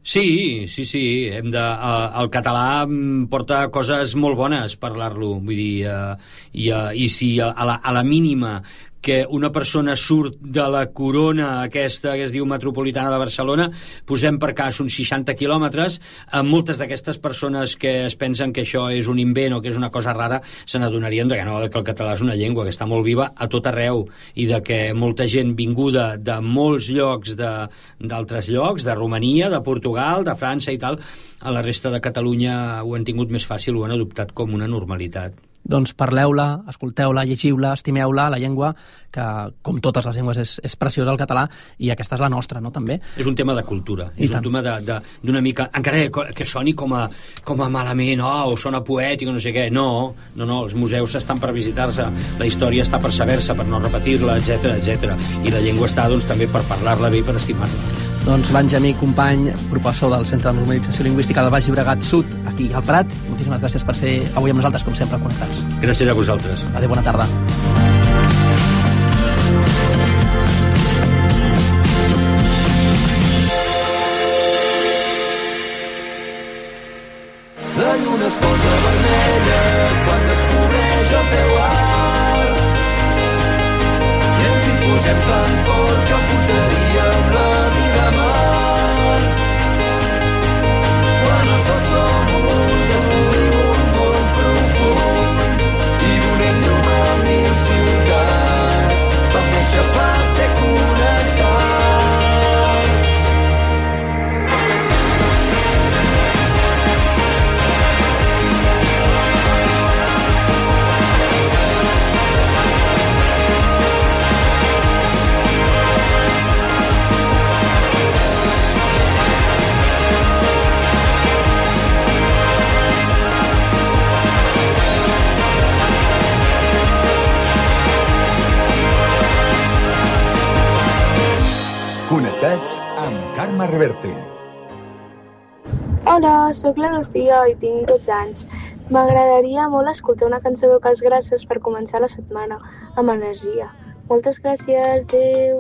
Sí, sí, sí. Hem de, uh, el català porta coses molt bones parlar-lo, vull dir, uh, i, uh, i si a la, a la mínima que una persona surt de la corona aquesta que es diu metropolitana de Barcelona, posem per cas uns seixanta quilòmetres, amb moltes d'aquestes persones que es pensen que això és un invent o que és una cosa rara, se n'adonarien que no, que el català és una llengua que està molt viva a tot arreu, i de que molta gent vinguda de molts llocs d'altres llocs, de Romania, de Portugal, de França i tal, a la resta de Catalunya ho han tingut més fàcil, ho han adoptat com una normalitat. Doncs parleu-la, escolteu-la, llegiu-la, estimeu-la, la llengua, que com totes les llengües és, és preciosa el català, i aquesta és la nostra, no?, també. És un tema de cultura, I és tant. un tema d'una mica, encara que, que soni com a, com a malament, oh, o sona poètic o no sé què, no, no, no, els museus estan per visitar-se, la història està per saber-se, per no repetir-la, etcètera, etcètera, i la llengua està, doncs, també per parlar-la bé i per estimar-la. Doncs Benjamí Company, professor del Centre de Normalització Lingüística del Baix Llobregat Sud, aquí al Prat. Moltíssimes gràcies per ser avui amb nosaltres, com sempre, connectats. Gràcies a vosaltres. Adéu, bona tarda. La lluna es posa vermella quan descobreix el teu art i ens hi posem tan fort que portaria a Reverte. Hola, sóc la Lucía i tinc dotze anys. M'agradaria molt escoltar una cançó de Cas Grasses per començar la setmana amb energia. Moltes gràcies, adéu.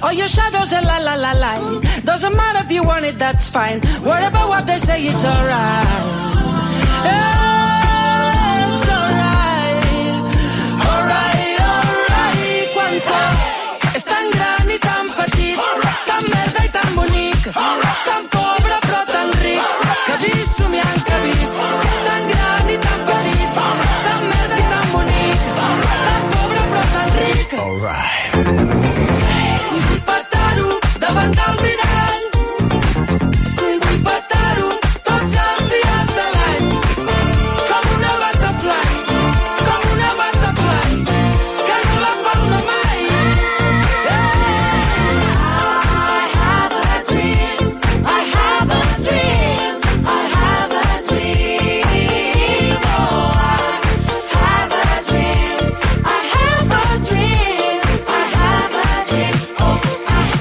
All your shadows and la la la la. Doesn't matter if you want it, that's fine. Worry about what they say, it's alright. Yeah, it's alright. Alright, alright. Quanto és tan gran i tan petit, tan merda i tan bonic, tan pobre però tan ric, que he vist somiant que he vist. Tan gran i tan petit, tan merda i tan bonic, tan pobre però tan ric. Alright. Davant del mirall, vull petar-ho tots els dies de l'any, com una butterfly, com una butterfly, que no la palma mai. I have a dream, I have a dream, I have a dream, oh I have a dream, I have a dream, I have a dream, oh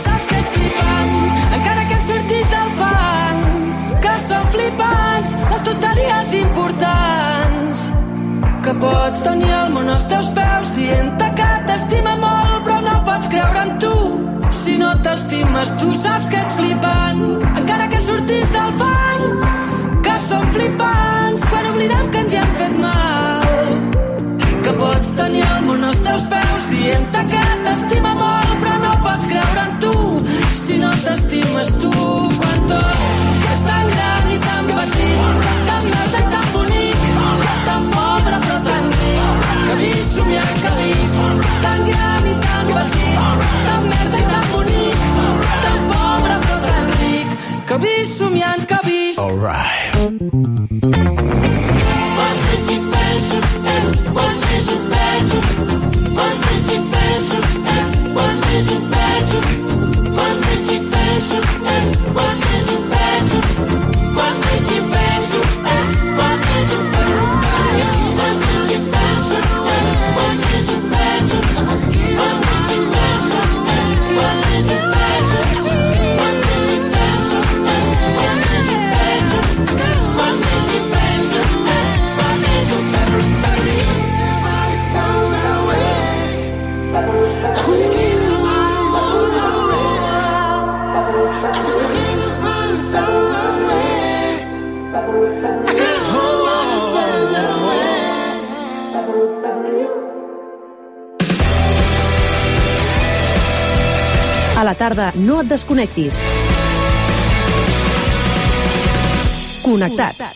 saps que ets flipant, encara que surtis del fang, que són flipants les tonteries importants, que pots tenir el món als teus peus dient-te que t'estima molt però no pots creure en tu si no t'estimes tu. Saps que ets flipant, encara que surtis del fang, que són flipants quan oblidem que ens hi han fet mal, que pots tenir el món als teus peus dient-te que t'estima molt però no pots creure en tu si no t'estimes tu. Quan tot és tan gran i tan petit, tan merda i tan bonic, tan pobre però tan ric, que he vist somiant que he vist. Tan gran i tan petit, tan merda i tan bonic, tan pobre però tan ric, que he vist somiant que he vist. Alright. Quan menys hi penso és quan més ho penso, quan menys hi penso és quan més ho penso, quan menys hi penso és quan més ho penso, quan menys hi penso és quan més ho penso, quan menys hi penso és quan més ho penso, quan menys hi penso és quan més ho penso, quan menys hi penso és quan més ho penso, quan menys hi penso és quan més ho penso. A la tarda, no et desconnectis. Connectats.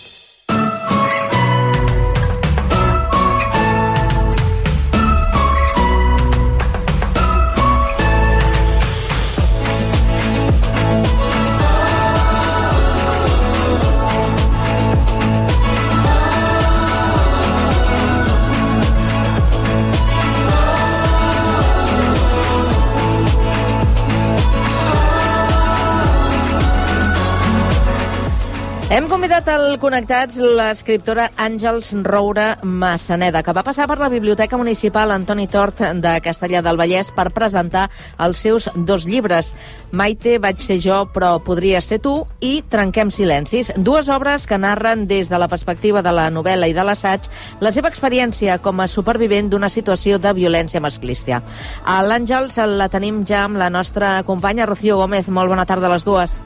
Hem convidat al Connectats l'escriptora Àngels Roure Massaneda, que va passar per la Biblioteca Municipal Antoni Tort de Castellar del Vallès per presentar els seus dos llibres, Maite, vaig ser jo, però podria ser tu, i Trenquem silencis, dues obres que narren des de la perspectiva de la novel·la i de l'assaig la seva experiència com a supervivent d'una situació de violència masclista. A l'Àngels la tenim ja amb la nostra companya Rocío Gómez. Molt bona tarda a les dues.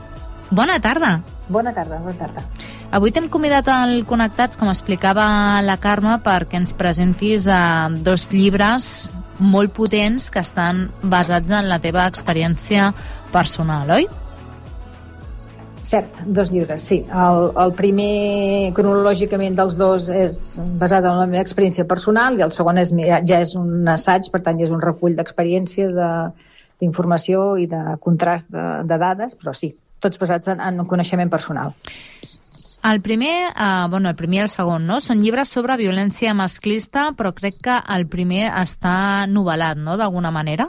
Bona tarda. Bona tarda, bona tarda. Avui t'hem convidat al Connectats, com explicava la Carme, perquè ens presentis eh, dos llibres molt potents que estan basats en la teva experiència personal, oi? Cert, dos llibres, sí. El, el primer, cronològicament, dels dos és basat en la meva experiència personal i el segon és, ja és un assaig, per tant, és un recull d'experiència, d'informació i de contrast de, de dades, però sí, tots basats en, en un coneixement personal. El primer, eh, bueno, el primer i el segon, no? Són llibres sobre violència masclista, però crec que el primer està novel·lat, no?, d'alguna manera?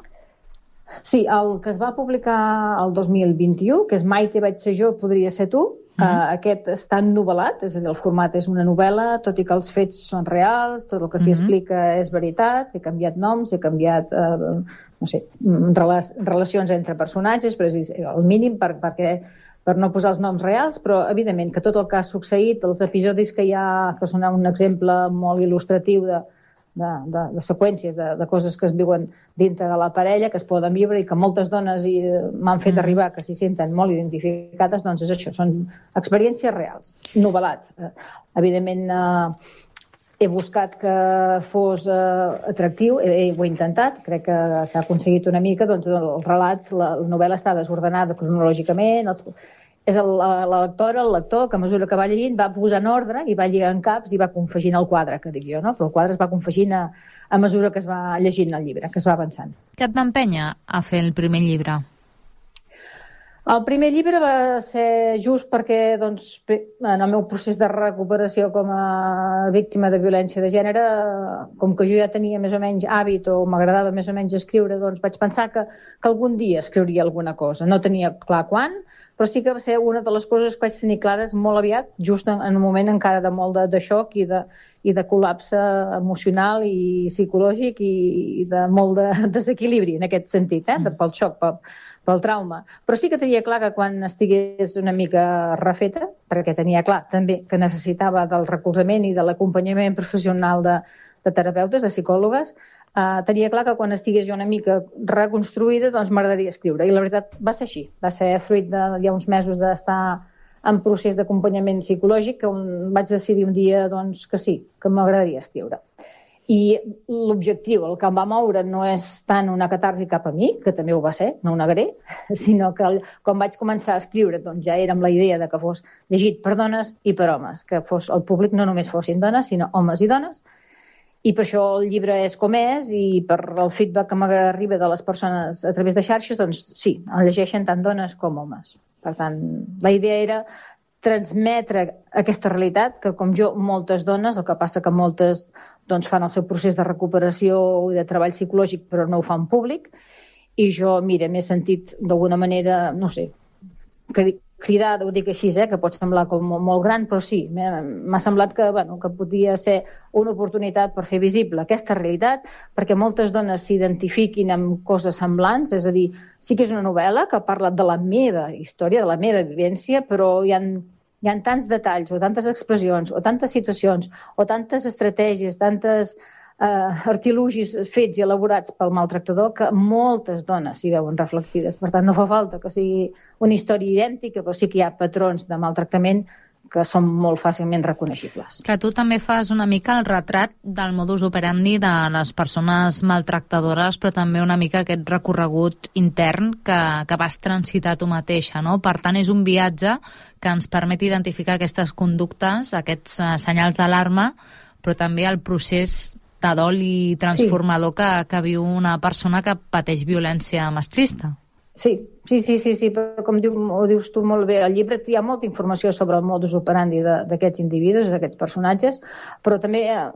Sí, el que es va publicar el dos mil vint-i-u, que és Maite vaig ser jo, podria ser tu, uh-huh. uh, aquest està novel·lat, és a dir, el format és una novel·la, tot i que els fets són reals, tot el que s'hi uh-huh. explica és veritat, he canviat noms, he canviat, uh, no sé, rela relacions entre personatges, però és el mínim per, perquè, per no posar els noms reals, però evidentment que tot el que ha succeït, els episodis que hi ha, que són un exemple molt il·lustratiu de De, de, de seqüències, de, de coses que es viuen dintre de la parella, que es poden viure i que moltes dones m'han fet arribar que s'hi senten molt identificades, doncs és això, són experiències reals, novel·lat. Eh, evidentment, eh, he buscat que fos eh, atractiu, he, ho he intentat, crec que s'ha aconseguit una mica, doncs el relat, la, la novel·la està desordenada cronològicament, els, és el, la, la lectora, el lector, que a mesura que va llegint va posar en ordre i va lligant caps i va confegint el quadre, que dic jo, no? Però el quadre es va confegint a, a mesura que es va llegint el llibre, que es va avançant. Què et va empènyer a fer el primer llibre? El primer llibre va ser just perquè, doncs, en el meu procés de recuperació com a víctima de violència de gènere, com que jo ja tenia més o menys hàbit o m'agradava més o menys escriure, doncs vaig pensar que, que algun dia escriuria alguna cosa. No tenia clar quan, però sí que va ser una de les coses que vaig tenir clares molt aviat, just en, en un moment encara de molt de, de xoc i de, i de col·lapse emocional i psicològic i, i de molt de desequilibri en aquest sentit, eh? pel xoc, pel, pel trauma. Però sí que tenia clar que quan estigués una mica refeta, perquè tenia clar també que necessitava del recolzament i de l'acompanyament professional de, de terapeutes, de psicòlogues, Uh, tenia clar que quan estigués jo una mica reconstruïda doncs m'agradaria escriure, i la veritat va ser així, va ser fruit de ja uns mesos d'estar en procés d'acompanyament psicològic que un, vaig decidir un dia doncs, que sí, que m'agradaria escriure. I l'objectiu, el que em va moure no és tant una catarsi cap a mi, que també ho va ser, no ho negaré, sinó que el, quan vaig començar a escriure doncs ja era amb la idea de que fos llegit per dones i per homes, que fos el públic no només fossin dones, sinó homes i dones. I per això el llibre és com és i per el feedback que m'arriba de les persones a través de xarxes, doncs sí, el llegeixen tant dones com homes. Per tant, la idea era transmetre aquesta realitat, que com jo, moltes dones, el que passa que moltes doncs, fan el seu procés de recuperació i de treball psicològic, però no ho fan públic, i jo, mira, m'he sentit d'alguna manera, no sé, cridada, ho dic així, eh, que pot semblar com molt gran, però sí, m'ha semblat que, bueno, que podia ser una oportunitat per fer visible aquesta realitat, perquè moltes dones s'identifiquin amb coses semblants, és a dir, sí que és una novel·la que parla de la meva història, de la meva vivència, però hi ha, hi ha tants detalls, o tantes expressions, o tantes situacions, o tantes estratègies, tantes eh, artilugis fets i elaborats pel maltractador que moltes dones s'hi veuen reflectides. Per tant, no fa falta que sigui una història idèntica, però sí que hi ha patrons de maltractament que són molt fàcilment reconeixibles. Però tu també fas una mica el retrat del modus operandi de les persones maltractadores, però també una mica aquest recorregut intern que, que vas transitar tu mateixa, no? Per tant, és un viatge que ens permet identificar aquestes conductes, aquests uh, senyals d'alarma, però també el procés de dol i transformador sí. que, que viu una persona que pateix violència masclista. Sí, sí, sí, sí, sí, però com diu, ho dius tu molt bé, al llibre hi ha molta informació sobre el modus operandi d'aquests individus, d'aquests personatges, però també eh,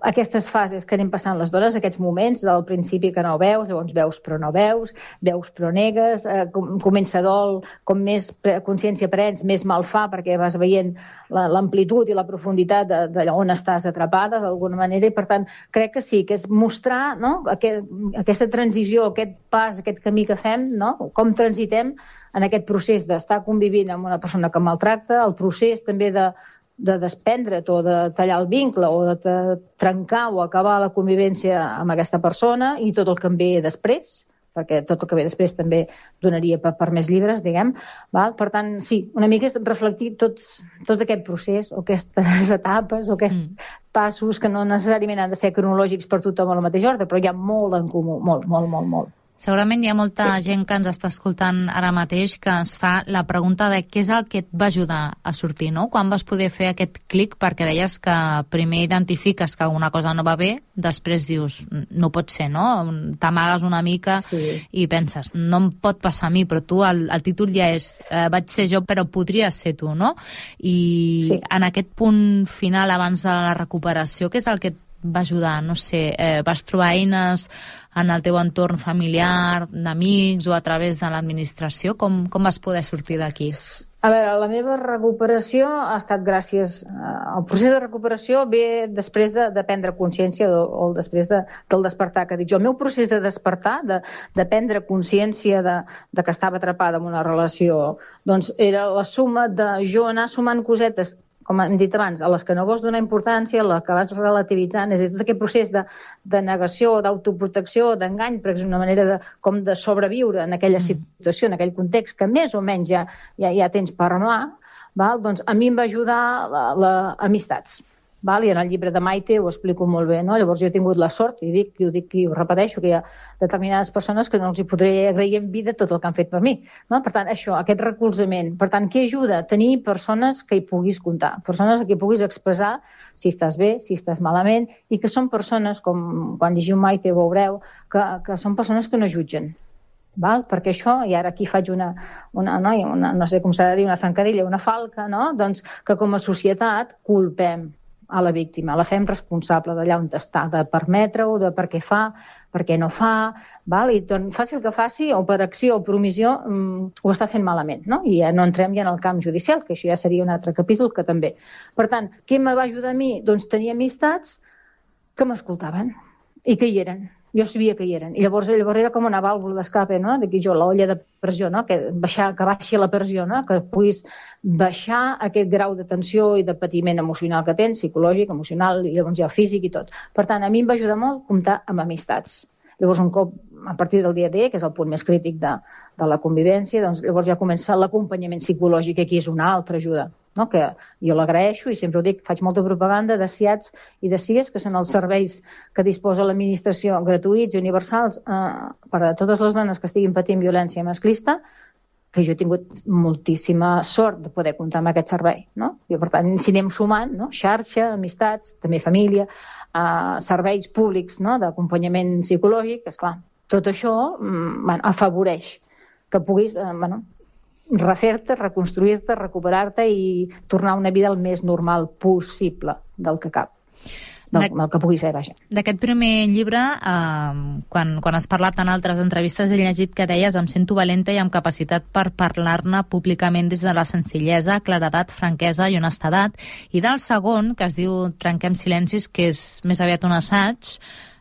aquestes fases que anem passant les dones, aquests moments, del principi que no veus, llavors veus però no veus, veus però negues, eh, com, comença dol, com més consciència prens, més mal fa, perquè vas veient l'amplitud i la profunditat de, de on estàs atrapada, d'alguna manera, i per tant, crec que sí, que és mostrar, no?, aquest, aquesta transició, aquest pas, aquest camí que fem, no?, com transitem en aquest procés d'estar convivint amb una persona que maltracta, el procés també de, de desprendre't o de tallar el vincle o de, de trencar o acabar la convivència amb aquesta persona i tot el que en ve després, perquè tot el que ve després també donaria per, per més llibres, diguem. Val? Per tant, sí, una mica és reflectir tot, tot aquest procés, o aquestes etapes, o aquests mm. passos que no necessàriament han de ser cronològics per tothom al mateix ordre, però hi ha molt en comú, molt, molt, molt, molt. Segurament hi ha molta sí. gent que ens està escoltant ara mateix que es fa la pregunta de què és el que et va ajudar a sortir, no? Quan vas poder fer aquest clic? Perquè deies que primer identifiques que alguna cosa no va bé, després dius, no pot ser, no? T'amagues una mica sí. i penses, no em pot passar a mi, però tu, el, el títol ja és eh, vaig ser jo, però podria ser tu, no? I sí. en aquest punt final, abans de la recuperació, què és el que et va ajudar? No sé, eh, vas trobar eines en el teu entorn familiar, d'amics o a través de l'administració? Com, com vas poder sortir d'aquí? A veure, la meva recuperació ha estat gràcies... El procés de recuperació ve després de, de prendre consciència o, o després de, del despertar, que dic jo. El meu procés de despertar, de, de prendre consciència de, de que estava atrapada en una relació, doncs era la suma de jo anar sumant cosetes, com hem dit abans, a les que no vols donar importància, a les que vas relativitzant, és a dir, tot aquest procés de, de negació, d'autoprotecció, d'engany, perquè és una manera de, com de sobreviure en aquella situació, en aquell context, que més o menys ja, ja, ja tens per mà, val? Doncs a mi em va ajudar la, la amistats. Val? I en el llibre de Maite ho explico molt bé, no? Llavors jo he tingut la sort, i dic, i ho dic i ho repeteixo, que hi ha determinades persones que no els hi podré agrair en vida tot el que han fet per mi, no? Per tant, això, aquest recolzament. Per tant, què ajuda? Tenir persones que hi puguis comptar, persones que hi puguis expressar si estàs bé, si estàs malament, i que són persones, com quan llegiu Maite veureu, que, que són persones que no jutgen. Val? Perquè això, i ara aquí faig una, una, no, una no sé com s'ha de dir, una zancadilla, una falca, no? Doncs que com a societat culpem a la víctima, la fem responsable d'allà on està, de permetre-ho, de per què fa, per què no fa, val? I doncs, faci el que faci, o per acció o per omissió, mmm, ho està fent malament, no? I ja no entrem ja en el camp judicial, que això ja seria un altre capítol que també. Per tant, què me va ajudar a mi? Doncs tenir amistats que m'escoltaven i que hi eren. Jo sabia que hi eren. I llavors, llavors era com una vàlvula d'escape, no? D'aquí jo, l'olla de pressió, no? Que, baixar, que baixi la pressió, no? Que puguis baixar aquest grau de tensió i de patiment emocional que tens, psicològic, emocional, i llavors ja físic i tot. Per tant, a mi em va ajudar molt comptar amb amistats. Llavors, un cop, a partir del dia D, que és el punt més crític de, de la convivència, doncs llavors ja comença l'acompanyament psicològic, que aquí és una altra ajuda, no? Que jo l'agraeixo i sempre ho dic, faig molta propaganda de S I A Ts i de S I A S, que són els serveis que disposa l'administració gratuïts i universals eh, per a totes les dones que estiguin patint violència masclista, que jo he tingut moltíssima sort de poder comptar amb aquest servei, no? I per tant, si anem sumant, no? Xarxa, amistats, també família, eh, serveis públics, no? D'acompanyament psicològic, esclar, tot això mm, bueno, afavoreix que puguis eh, bueno, refer-te, reconstruir-te, recuperar-te i tornar a una vida el més normal possible del que cap. Del, el que pugui ser, vaja. D'aquest primer llibre, eh, quan, quan has parlat en altres entrevistes, he llegit que deies em sento valenta i amb capacitat per parlar-ne públicament des de la senzillesa, claredat, franquesa i honestedat. I del segon, que es diu Trenquem silencis, que és més aviat un assaig,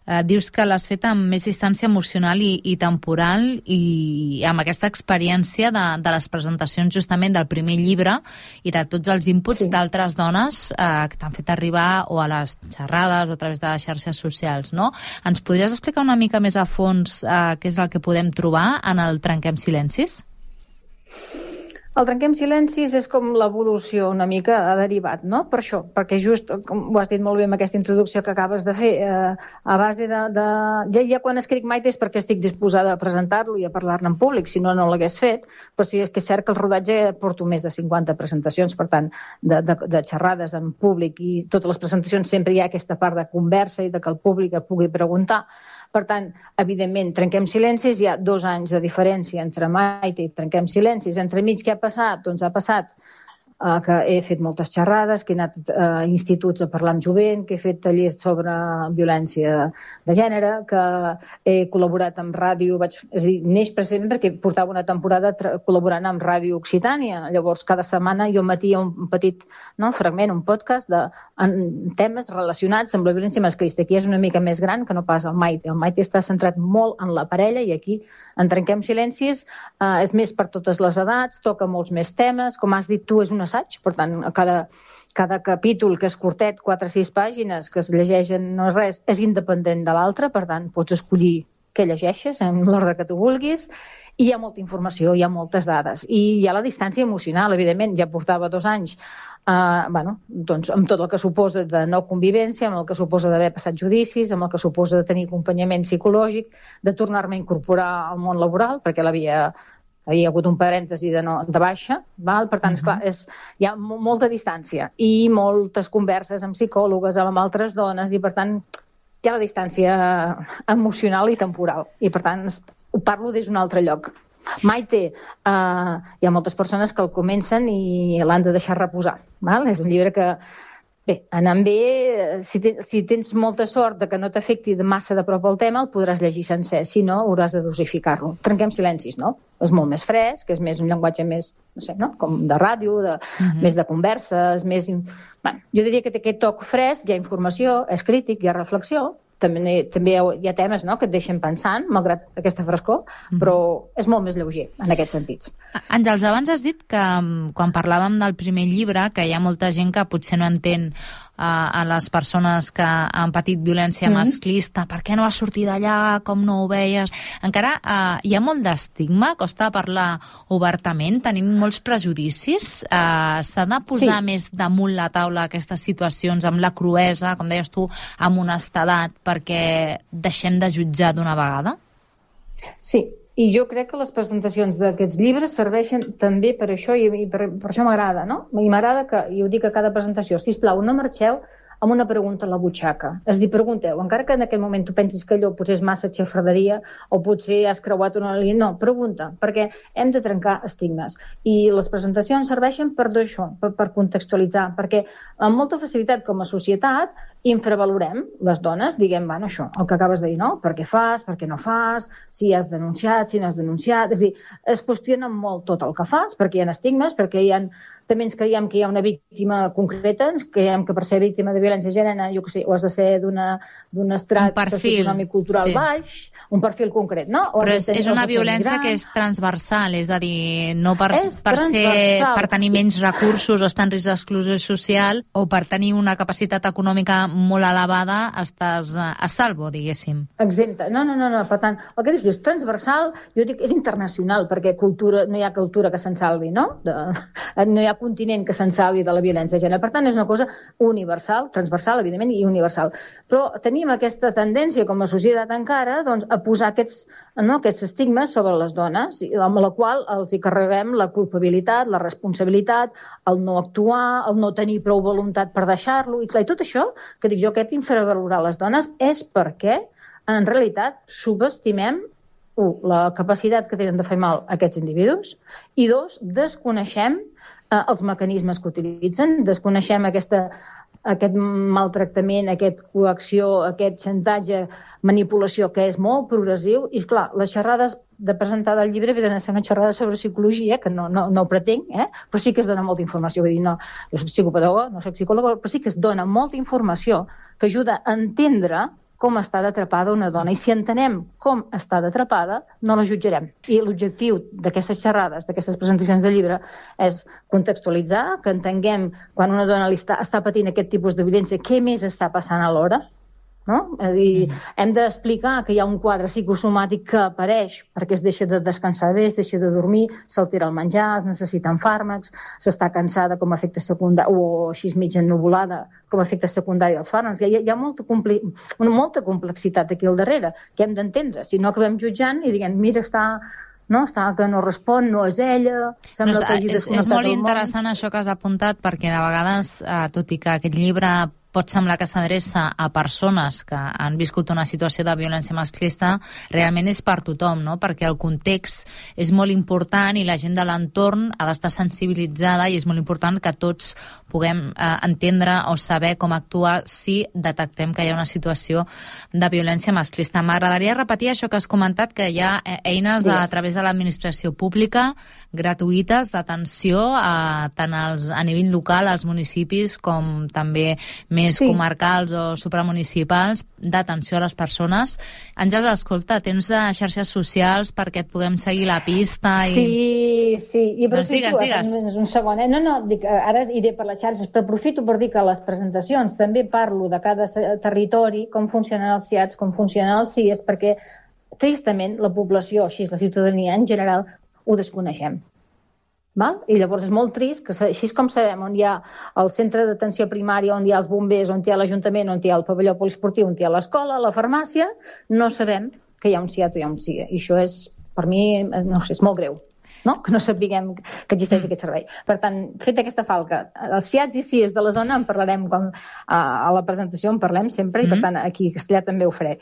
eh, dius que l'has fet amb més distància emocional i, i temporal i amb aquesta experiència de, de les presentacions justament del primer llibre i de tots els inputs sí. d'altres dones eh, que t'han fet arribar o a les xerrades o a través de les xarxes socials, no? Ens podries explicar una mica més a fons eh, què és el que podem trobar en el Trenquem silencis? El Trenquem silencis és com l'evolució una mica ha derivat, no? Per això, perquè just, com ho has dit molt bé amb aquesta introducció que acabes de fer, eh, a base de... de... Ja, ja quan escric Maite és perquè estic disposada a presentar-lo i a parlar-ne en públic, si no, no l'hagués fet, però sí és que és cert que el rodatge porto més de cinquanta presentacions, per tant, de, de, de xerrades en públic, i totes les presentacions sempre hi ha aquesta part de conversa i de que el públic et pugui preguntar. Per tant, evidentment, Trenquem silencis, hi ha dos anys de diferència entre Maite i Trenquem silencis. Entremig, què ha passat? Doncs ha passat eh, que he fet moltes xerrades, que he anat a eh, instituts a parlar amb jovent, que he fet tallers sobre violència de gènere, que he col·laborat amb ràdio, vaig, és a dir, neix precisament perquè portava una temporada col·laborant amb Ràdio Occitània. Llavors, cada setmana jo emetia un petit no, fragment, un podcast de en temes relacionats amb la violència masclista. Aquí és una mica més gran que no pas el Maite. El Maite està centrat molt en la parella i aquí en Trenquem silencis eh, és més per totes les edats, toca molts més temes. Com has dit tu, és un assaig, per tant, cada, cada capítol que és curtet, quatre o sis pàgines, que es llegeixen, no és res, és independent de l'altre, per tant, pots escollir que llegeixes, en l'ordre que tu vulguis, i hi ha molta informació, hi ha moltes dades. I hi ha la distància emocional, evidentment. Ja portava dos anys Uh, bueno, doncs, amb tot el que suposa de no convivència, amb el que suposa d'haver passat judicis, amb el que suposa de tenir acompanyament psicològic, de tornar-me a incorporar al món laboral, perquè l'havia havia hagut un parèntesi de, no, de baixa, val? Per tant, uh-huh. esclar, és, hi ha molta distància i moltes converses amb psicòlogues, amb altres dones, i per tant hi ha la distància emocional i temporal, i per tant ho parlo des d'un altre lloc. Maite, uh, hi ha moltes persones que el comencen i l'han de deixar reposar. Val? És un llibre que, bé, anant bé, si, te, si tens molta sort de que no t'afecti massa de prop el tema, el podràs llegir sencer, si no, hauràs de dosificar-lo. Trenquem silencis, no? És molt més fresc, és més un llenguatge més, no sé, no? Com de ràdio, de, uh-huh. més de converses, més... Bueno, jo diria que té aquest toc fresc, hi ha informació, és crític, hi ha reflexió, també, també hi ha temes, no?, que et deixen pensant, malgrat aquesta frescor, mm-hmm. però és molt més lleuger en aquests sentits. Àngels, abans has dit que quan parlàvem del primer llibre, que hi ha molta gent que potser no entén uh, a les persones que han patit violència mm-hmm. masclista, per què no vas sortir d'allà, com no ho veies... Encara uh, hi ha molt d'estigma, costa parlar obertament, tenim molts prejudicis, uh, s'ha de posar sí. més damunt la taula aquestes situacions amb la cruesa, com deies tu, amb honestedat, perquè deixem de jutjar d'una vegada? Sí, i jo crec que les presentacions d'aquests llibres serveixen també per això, i per, per això m'agrada, no? I m'agrada que, i ho dic a cada presentació, sisplau, no marxeu amb una pregunta a la butxaca. És a dir, pregunteu, encara que en aquell moment tu pensis que allò potser és massa xafarderia o potser has creuat una línia, no, pregunta, perquè hem de trencar estigmes. I les presentacions serveixen per això, per, per contextualitzar, perquè amb molta facilitat com a societat infravalorem les dones, diguem, bueno, això, el que acabes de dir, no? Per què fas, per què no fas, si has denunciat, si no has denunciat... És a dir, es qüestiona molt tot el que fas, perquè hi ha estigmes, perquè hi ha... També ens creiem que hi ha una víctima concreta, ens creiem que per ser víctima de violència de gènere, jo què sé, o has de ser d'un estrat socioeconòmic cultural sí. baix, un perfil concret, no? O però és, és una violència que és transversal, és a dir, no per, per, ser, per tenir menys recursos o estar en risc d'exclusió social o per tenir una capacitat econòmica molt elevada estàs a salvo, diguéssim. Exempte. No, no, no, no. Per tant, el que dius és transversal, jo dic, és internacional, perquè cultura, no hi ha cultura que se'n salvi, no? De, no hi ha continent que se'n salvi de la violència de gènere. Per tant, és una cosa universal, transversal, evidentment, i universal. Però tenim aquesta tendència, com a societat encara, doncs, a posar aquests, no, aquests estigmes sobre les dones, amb la qual els hi carreguem la culpabilitat, la responsabilitat, el no actuar, el no tenir prou voluntat per deixar-lo, i clar, i tot això, que dic jo, aquest infravalorar les dones, és perquè, en realitat, subestimem u, la capacitat que tenen de fer mal a aquests individus, i dos, desconeixem eh, els mecanismes que utilitzen, desconeixem aquesta, aquest maltractament, aquesta coacció, aquest xantatge, manipulació, que és molt progressiu, i esclar, les xerrades de presentar del llibre havien de ser una xerrada sobre psicologia, que no, no, no ho pretenc, eh? Però sí que es dona molta informació. Vull dir, no, jo soc psicopedagoga, no soc psicòloga, però sí que es dona molta informació que ajuda a entendre com està d'atrapada una dona. I si entenem com està d'atrapada, no la jutjarem. I l'objectiu d'aquestes xerrades, d'aquestes presentacions de llibre, és contextualitzar, que entenguem quan una dona li està, està patint aquest tipus de violència, què més està passant alhora, no? És a dir, mm. hem d'explicar que hi ha un quadre psicosomàtic que apareix perquè es deixa de descansar bé, es deixa de dormir, s'altera el menjar, es necessiten fàrmacs, s'està cansada com a efecte secundari, o així mitja ennuvolada com a efecte secundari dels fàrmacs. Hi ha, hi ha molta, compli... una molta complexitat aquí al darrere que hem d'entendre, si no acabem jutjant i diguem, mira, està... no, està que no respon, no és ella, sembla no, que hagi és, és molt interessant això que has apuntat, perquè de vegades, eh, tot i que aquest llibre pot semblar que s'adreça a persones que han viscut una situació de violència masclista, realment és per tothom, no? Perquè el context és molt important i la gent de l'entorn ha d'estar sensibilitzada i és molt important que tots puguem eh, entendre o saber com actuar si detectem que hi ha una situació de violència masclista. M'agradaria repetir això que has comentat, que hi ha eines a, a través de l'administració pública gratuïtes d'atenció a, tant als, a nivell local, als municipis, com també més sí. comarcals o supramunicipals, d'atenció a les persones. Àngels, escolta, tens xarxes socials perquè et puguem seguir la pista? I... Sí, sí. I doncs digues, digues. Un segon, eh? No, no, dic, ara iré per les xarxes, però aprofito per dir que a les presentacions també parlo de cada territori, com funcionen els C I A Ts, com funcionen els C I E S, perquè tristament, la població, així la ciutadania en general, ho desconeixem. Val? I llavors és molt trist que així com sabem on hi ha el centre d'atenció primària, on hi ha els bombers, on hi ha l'Ajuntament, on hi ha el pavelló poliesportiu, on hi ha l'escola, la farmàcia, no sabem que hi ha un C I A T o hi ha un C I A. I això és, per mi, no sé, és molt greu, no? Que no sapiguem que existeix aquest servei. Per tant, fet aquesta falca, els C I A Ts i C I As de la zona en parlarem com, a, a la presentació, en parlem sempre, i per tant aquí a Castellà també ho faré.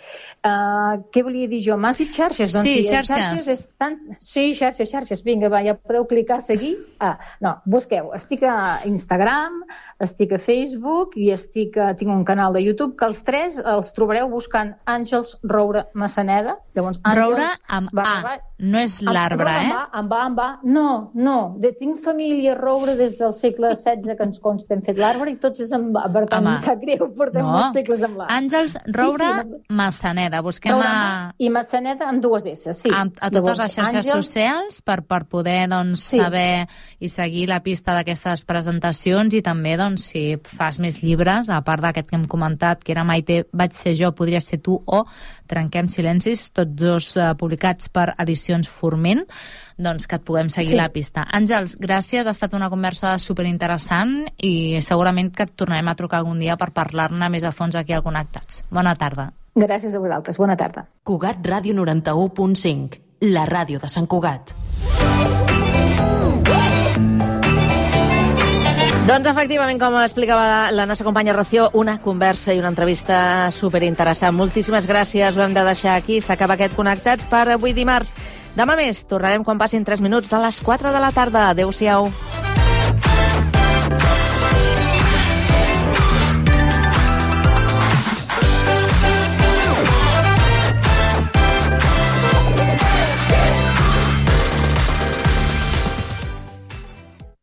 Uh, què volia dir jo? M'has dit xarxes? Doncs, sí, sí, xarxes. xarxes és tant... Sí, xarxes, xarxes. Vinga, va, ja podeu clicar a seguir. Ah, no, busqueu. Estic a Instagram, estic a Facebook i estic a... tinc un canal de YouTube que els tres els trobareu buscant Àngels Roure Massaneda. Llavors, Àngels, Roure amb va, A, va, no és l'arbre, eh? Amb A, amb A, amb A. No, no. De, tinc família Roure des del segle setze que ens consta hem fet l'arbre i tots és amb A. Per tant, Home. em sap greu, portem No. molts segles amb l'A. Àngels Roure Sí, sí, Massaneda. Busquem Roure a, amb A i Massaneda amb dues S, sí. a, a totes Llavors, les xarxes Àngels- socials per, per poder doncs, Sí. saber i seguir la pista d'aquestes presentacions i també doncs, si fas més llibres, a part d'aquest que hem comentat, que era Maite, vaig ser jo, podria ser tu, o Trenquem silencis, tots dos uh, publicats per Edicions Forment, doncs que et puguem seguir Sí. la pista. Àngels, gràcies, ha estat una conversa superinteressant i segurament que et tornarem a trucar algun dia per parlar-ne més a fons aquí al Connectats. Bona tarda. Gràcies a vosaltres. Bona tarda. Cugat Ràdio noranta-u punt cinc, la ràdio de Sant Cugat. Doncs efectivament, com explicava la, la nostra companya Rocío, una conversa i una entrevista superinteressant. Moltíssimes gràcies, ho hem de deixar aquí. S'acaba aquest Connectats per avui dimarts. Demà més, tornarem quan passin tres minuts de les quatre de la tarda. Adéu-siau.